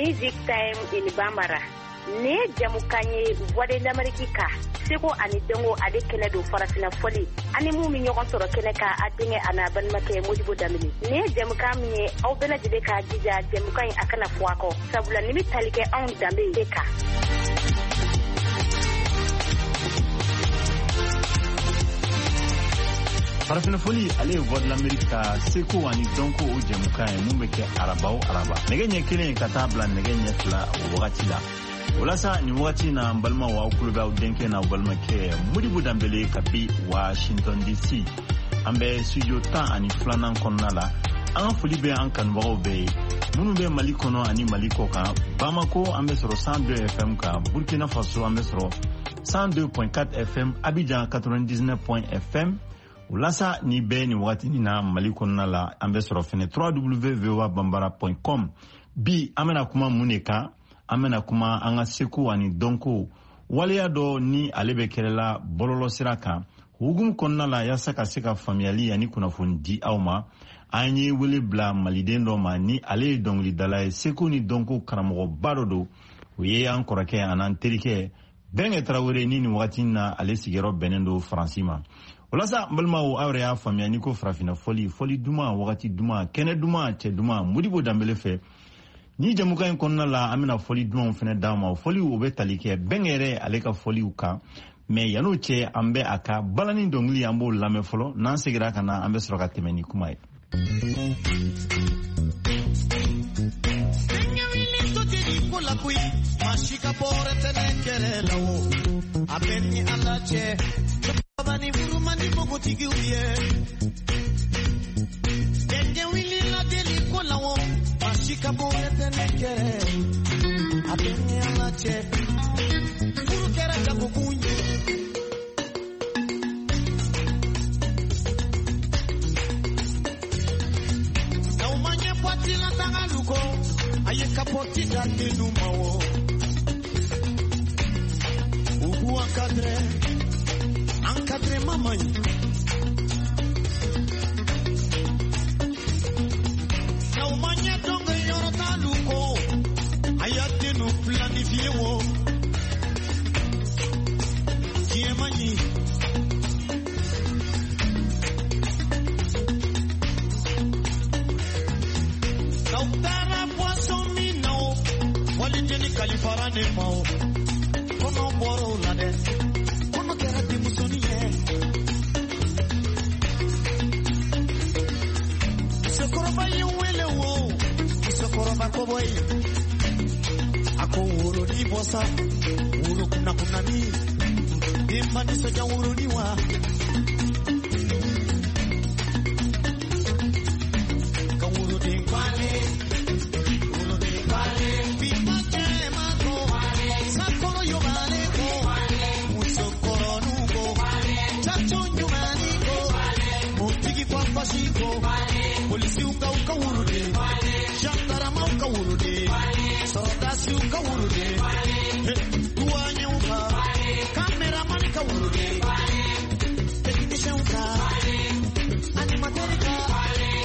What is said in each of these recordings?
Music Time in Bambara. Nin ye jamukan ye Voix de l'Amérique kan, seko ani dɔnko ale kɛnɛ don, farafina fɔli ani mun bɛ ɲɔgɔn sɔrɔ kɛnɛ kan, a denkɛ a n'a balimakɛ Modibo Danbele. Nin ye jamukan min ye, aw bɛɛ lajɛlen k'a jija jamukan in a kana fɔ a kɔ, sabula nin bɛ tali kɛ anw danbe de kan. Farafina fɔli ale ye Voix de l'Amérique ka seko ani dɔnko o jɛmukan ye mun bɛ kɛ araba o araba nɛgɛ ɲɛ 1 ka taa bila nɛgɛ ɲɛ 2 o wagati la. O la sa, nin wagati na, n balimaw, aw tulo bɛ aw denkɛ n'aw balimakɛ Modibo Danbele kabi Washington DC. An bɛ studio 12nan kɔnɔna la. An ka foli bɛ an kanubagaw bɛɛ ye minnu bɛ Mali kɔnɔ ani Mali kɔ kan. Bamako, an bɛ sɔrɔ 102 FM kan. Burkina Faso, an bɛ sɔrɔ 102.4 FM. Abidjan, 99 FM. O la sa, ni bɛɛ nin wagati na Mali kɔnɔna la, an bɛ sɔrɔ fɛnɛ www.voabambara.com. Bi, an bɛna kuma mun de kan? An bɛna kuma an ka seko ani dɔnko waleya dɔ ni ale bɛ kɛlɛla bɔlɔlɔ sira kan hukumu kɔnɔna la. Yaasa ka se ka faamuyali ani kunnafoni di aw ma, an ye wele bila maliden dɔ ma ni ale ye dɔnkilidala ye, seko ni dɔnko karamɔgɔba dɔ don. O ye an kɔrɔkɛ an'an terikɛ Bɛnkɛ Tarawele, ni nin wagati na ale sigiyɔrɔ bɛnnen don Faransi ma. O la sa, n balimaw, aw yɛrɛ y'a faamuya n'i ko farafinna fɔli, fɔli duman, wagati duman, kɛnɛ duman, cɛ duman, Modibo Danbele fɛ. Ni jamukan in kɔnɔna la, an bɛna fɔli dumanw fɛnɛ d'aw ma. O fɔliw, o bɛ tali kɛ Bɛnkɛ yɛrɛ ale ka fɔliw kan. Mɛ yan'o cɛ, an bɛ a ka balani dɔnkili, an b'o lamɛn fɔlɔ. N'an segira ka na, an bɛ sɔrɔ ka tɛmɛ ni kuma ye. Si ka bɔrɛ tɛnɛ kɛlɛ la o, a bɛ ni Ala cɛ, ni furu man di npogotigiw ye. Gɛngɛ wulila deli ko la o, maa si ka bɔrɛ tɛnɛ kɛlɛ, a bɛ ni Ala cɛ, furu kɛra jagokun ye. N'aw ma ɲɛ boîte la tagalu kɔ, a ye kapɔti da dennu ma o. U k'u encadré, encadrement man ɲi. N'aw ma ɲɛ dɔnkɛ yɔrɔ t'alu kɔ, a y'a dennu planifié o. Diɲɛ man ɲi. N'aw taara boisson min na o, walijeni kalifara ne ma o. Kɔnɔ bɔr'o la dɛ, kɔnɔ kɛra denmusonin ye. Musokɔrɔba ye n wele o, musokɔrɔba kɔbɔyi. A ko woroni bɔ sa, woro kunnakunnani. Den ma nisɔndiya woroni wa. Ka woroden kwale, woroden kwale. Bi ma jɛ ma ko, sakɔrɔ yobale ko, musokɔrɔnu ko, caco ɲumani ko, motigi kwafasi ko, polisiw ka u ka woroden, gendarmew ka woroden, sɔrɔdasiw ka woroden, duwanyew ka, kameramani ka woroden, technicienw ka, animateur ka,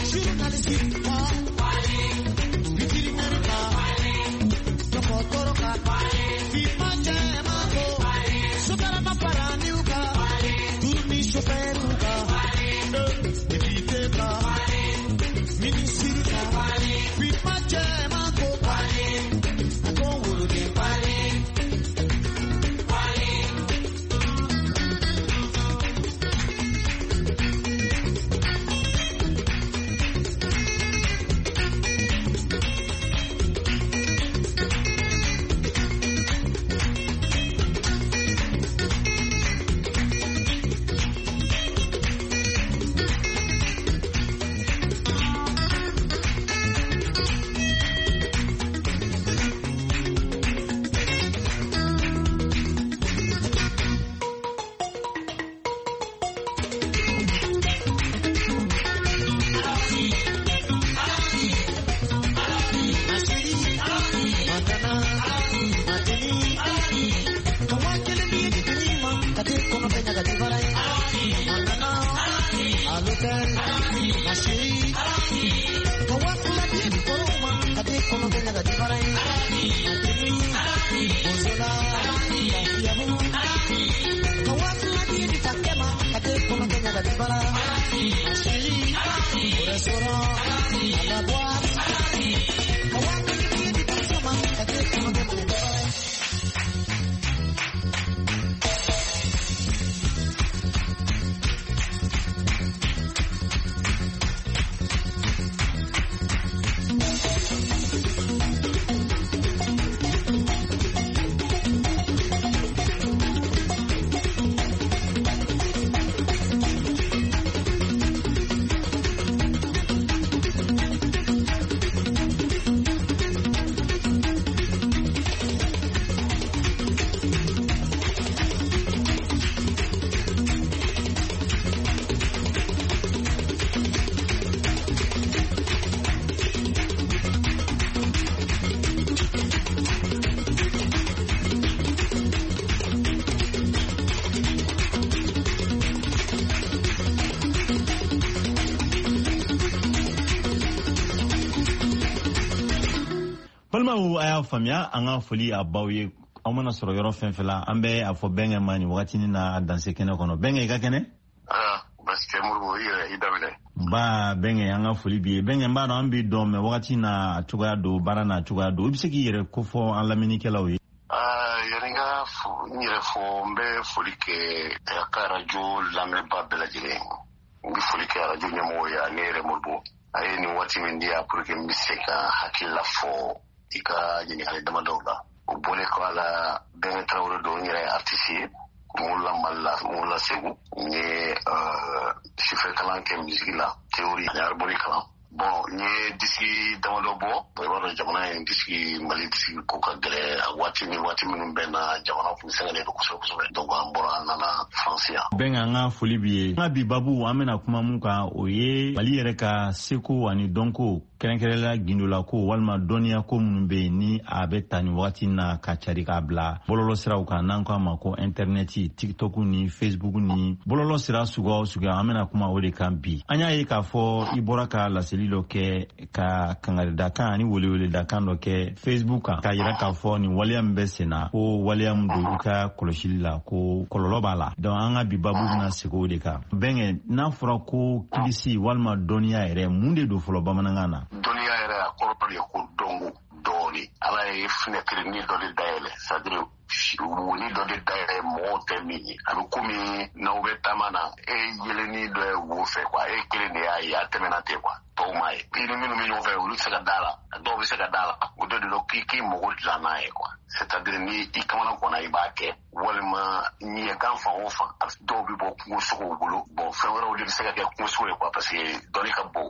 journaliste ka, vétérinaire ka, dɔgɔtɔrɔ ka, finman jɛman ko, sotarama paraniw ka, tourni chauffeur ka, député ka, ministre ka, finman jɛman ko, a ko woloden. Balimaw, a y'a faamuya, an ka foli a baw ye. Aw mana sɔrɔ yɔrɔ fɛn fɛn la, an bɛ a fɔ bɛnkɛ ma nin wagatinin na a danse kɛnɛ kɔnɔ. Bɛnkɛ, i ka kɛnɛ? Basi tɛ Modibo, i yɛrɛ i daminɛ. Ba bɛnkɛ, an ka foli b'i ye. Bɛnkɛ, n b'a dɔn an b'i dɔn, mɛ wagati n'a cogoya don, baara n'a cogoya don. I bɛ se k'i yɛrɛ kofɔ an lamɛnnikɛlaw ye? Yanni n ka n yɛrɛ fɔ, n bɛ foli kɛ a ka arajo lamɛnbaa bɛɛ lajɛlen. N bɛ foli kɛ arajo ɲɛmɔgɔw ye ani yɛrɛ Modibo. A ye nin waati min di yan pour que n bɛ se ka hakilila fɔ i ka ɲininkali damadɔw la. O bɔlen kɔ a la, Bɛnkɛ Tarawele don, n yɛrɛ ye artiste ye. N wolola Mali la, n wolola Segu. N ye sufɛ kalan kɛ musique la, théorie ani harmonie kalan. Bon, n ye disque damadɔ bɔ. I b'a dɔn jamana in disque, Mali disque ko ka gɛlɛn. A waati ni waati minnu bɛn na, jamana kun sɛgɛnnen don kosɛbɛ kosɛbɛ. Donc an bɔra, an nana France yan. Bɛnkɛ, an ka foli b'i ye. An ka bi babu, an bɛna kuma mun kan, o ye Mali yɛrɛ ka seko ani dɔnko, kɛrɛnkɛrɛnla gindolako walima dɔnniyako minnu bɛ yen ni a bɛ ta nin wagati na ka cari k'a bila bɔlɔlɔ siraw kan, n'an ko a ma ko intɛrɛnɛti, TikTok ni Facebook ni bɔlɔlɔ sira suguya o suguya. An bɛna kuma o de kan bi. An y'a ye k'a fɔ i bɔra ka laseli dɔ kɛ, ka kangaridakan ani weleweledakan dɔ kɛ Facebook kan, k'a yira k'a fɔ nin waleya min bɛ sen na, ko waleya min don i ka kɔlɔsili la, ko kɔlɔlɔ b'a la. Donc an ka bi babu bɛna segin o de kan. Bɛnkɛ, n'a fɔra ko kilisi walima dɔnniya yɛrɛ, mun de don fɔlɔ bamanankan na? Dɔnniya yɛrɛ, a kɔrɔ de ye ko dɔnko dɔɔni. Ala ye fenêtre dɔ de dayɛlɛ, c'est à dire woni dɔ de dayɛlɛ mɔgɔw tɛ min ye. A bɛ komi n'aw bɛ taama na, e yelenni dɔ ye wo fɛ quoi, e kelen de y'a ye, a tɛmɛna ten quoi, tɔw m'a ye. I ni minnu bɛ ɲɔgɔn fɛ, olu tɛ se ka da la, dɔw bɛ se ka da la. O dɔ de don k'i mago dilan n'a ye quoi, c'est à dire ni i kamana ganna, i b'a kɛ, walima ɲɛgan fan o fan, dɔw bɛ bɔ kungo sogow bolo. Bon, fɛn wɛrɛw de bɛ se ka kɛ kungo sogo ye quoi, parce que dɔnni ka bon.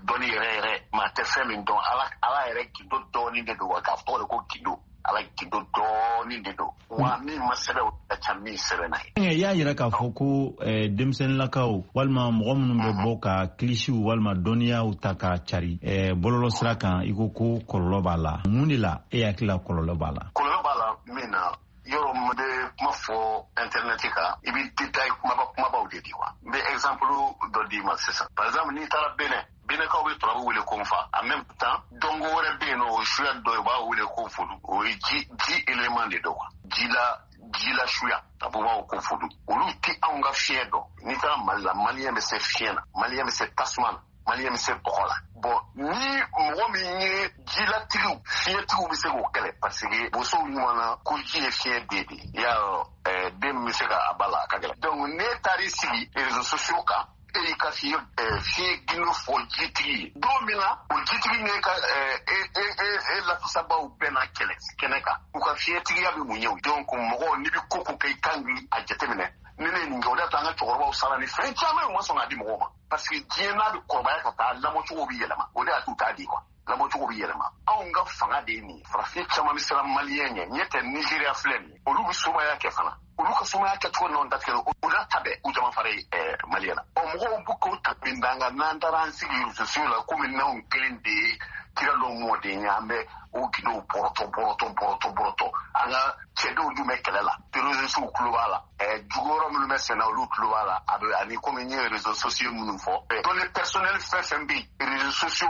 Dɔnni yɛrɛ yɛrɛ, maa tɛ fɛn min dɔn, Ala yɛrɛ gindo dɔɔni de don wa, k'a tɔgɔ de ko gindo. Ala gindo dɔɔni de don wa, min ma sɛbɛn, o ka ca min sɛbɛnna ye. I y'a yira k'a fɔ ko denmisɛnninlakaw walima mɔgɔ minnu bɛ bɔ ka kilisiw walima dɔnniyaw ta ka cari bɔlɔlɔ sira kan, i ko ko kɔlɔlɔ b'a la. Mun de la e hakili la kɔlɔlɔ b'a la? Kɔlɔlɔ b'a la min na, yɔrɔ min bɛ kuma fɔ internet kan, i bɛ détail kumaba kumabaw de di wa. N bɛ exemple dɔ d'i ma sisan. Par exemple, n'i taara Benin, Benɛkaw bɛ turabu wele ko nfa. En même temps, dɔnko wɛrɛ bɛ yen nɔ, o suya dɔ ye, u b'a wele ko fodu. O ye ji élément de don quoi. Ji la suya, a b'o b'a ko fodu. Olu tɛ anw ka fiɲɛ dɔn. N'i taara Mali la, Malien bɛ se fiɲɛ na, Malien bɛ se tasuma na, Malien bɛ se bɔgɔ la. Bon, ni mɔgɔ min ye jilatigiw, fiɲɛtigiw bɛ se k'o kɛlɛ, parce que bosow ɲuman na ko ji ye fiɲɛ den de ye. I y'a dɔn, den min bɛ se ka a ba la, a ka gɛlɛn. Donc n'e taar'i sigi réseaux sociaux kan, e y'i ka fiɲɛ gindo fɔ jitigi ye don min na, o jitigi n'e ka e e e e lafasabaw bɛɛ na kɛlɛ kɛnɛ kan, u ka fiɲɛtigiya bɛ mun ye o? Donc mɔgɔw, n'i bɛ ko ko kɛ, i kan k'i a jateminɛ. Ni ne ye nin kɛ, o de y'a to an ka cɛkɔrɔbaw sara ni fɛn caman ye, u ma sɔn k'a di mɔgɔw ma, parce que diɲɛ n'a bɛ kɔrɔbaya ka taa, lamɔcogo bɛ yɛlɛma. O de y'a to u t'a di quoi, lamɔcogo bɛ yɛlɛma. Anw ka fanga de ye nin ye. Farafin caman bɛ siran Malien ɲɛ. Ɲɛ tɛ, Nizeriya filɛ nin ye, olu bɛ somaya kɛ fana, olu ka somaya kɛcogo nɔ datigɛ, o n'a ta bɛɛ, u jama fara ye Malien na. Ɔ, mɔgɔw bɛ k'o ta min d'an kan, n'an taara an sigi réseaux sociaux la, komi n'anw kelen de ye kira dɔ mɔden ye, an bɛ o gindow bɔrɔtɔ bɔrɔtɔ bɔrɔtɔ bɔrɔtɔ. An ka cɛdenw dun bɛ kɛlɛ la, terroristes tulo b'a la, jugu yɔrɔ minnu bɛ senna, olu tulo b'a la. A bɛ ani komi n ye réseaux sociaux minnu fɔ, données personnelles fɛn fɛn bɛ yen, réseaux sociaux